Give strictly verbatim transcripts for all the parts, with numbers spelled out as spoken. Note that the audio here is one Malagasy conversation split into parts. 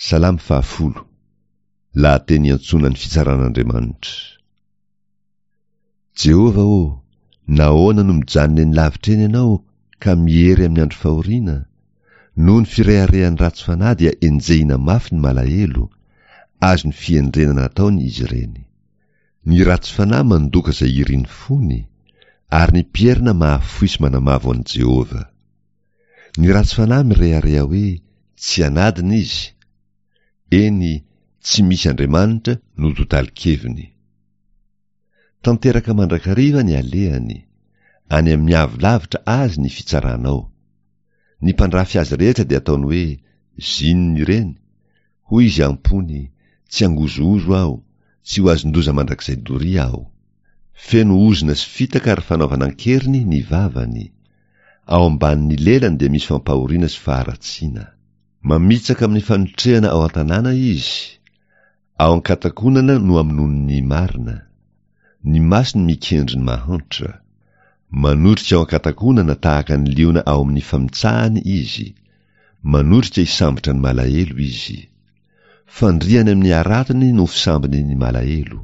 Salamo fahafolo. Lahateny iantsoana ny fitsaran'Andriamanitra. Jehovah ô, nahoana no mijanona eny lavitra eny ianao ka miery amin'ny andro fahoriana? Noho ny fireharehan'ny ratsy fanahy dia enjehina mafy ny malahelo, azon'ny fihendrena nataony izy ireny. Ny ratsy fanahy mandoka izay irin'ny fony, ary ny mpierina mahafoy sy manamavo an'i Jehovah. Ny ratsy fanahy mirehareha hoe tsy anadina izy. Eny, tsy misy Andriamanitra no totalin-keviny. Tanteraka mandrakariva ny alehany, any amin'ny avo lavitra azy ny fitsaranao. Ny mpandrafy azy rehetra dia ataony hoe zinona ireny, hoy izy am-pony, tsy hangozohozo aho, tsy ho azon-doza mandrakizay doria aho. Feno ozona sy fitaka ary fanaovana an-keriny ny vavany. Ao ambanin'ny lelany dia misy fampahoriana sy faharatsiana. Mamitsaka amin'ny fanotrehana ao an-tanàna izy, ao an-katakonana no amonoany ny marina. Ny masony mikendry ny mahantra. Manotrika ao an-katakonana tahaka ny liona ao amin'ny famitsahany izy. Manotrika hisambotra ny malahelo izy. Fandrihany amin'ny haratony no fisambony ny malahelo.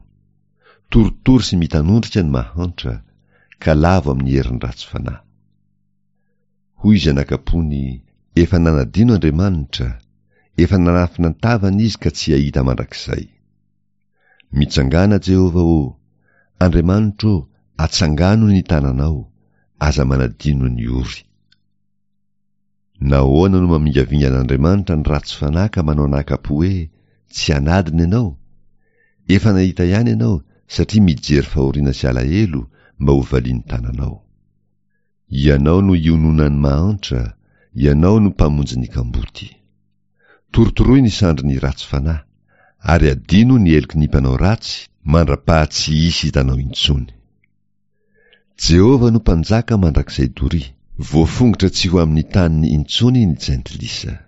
Torotoro sy mitanondrika ny mahantra, ka lavo amin'ny herin'ny ratsy fanahy. Hoy izy anakam-pony, efa nanadino Andriamanitra, efa nanafina ny tavany izy ka tsy hahita mandrakizay. Mitsangàna Jehovah ô, Andriamanitro ô, atsangano ny tananao, aza manadino ny ory. Nahoana no mamingavinga an'Andriamanitra ny ratsy fanahy ka manao anakam-po hoe tsy anadina ianao? Efa nahita ihany ianao satria mijery fahoriana sy alahelo mba ho valian'ny tananao. Ianao no iononan'ny mahantra, ianao no mpamonjy ny kamboty. Torotoroy ny sandrin'ny ratsy fanahy, ary adino ny heloky ny mpanao ratsy mandra-paha tsy hisy hitanao intsony. Jehovah no mpanjaka mandrakizay doria, voafongotra tsy ho amin'ny taniny intsony ny jentilisa.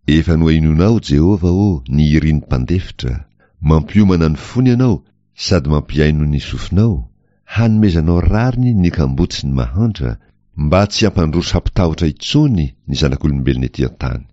Efa nohainoanao, Jehovah ô, ny irin'ny mpandefitra, mampiomana ny fony ianao sady mampihaino ny sofinao, hanomezanao rariny ny kamboty sy ny mahantra, mba tsy hampandroso hampitahotra intsony ny zanak'olombelona ety an-tany.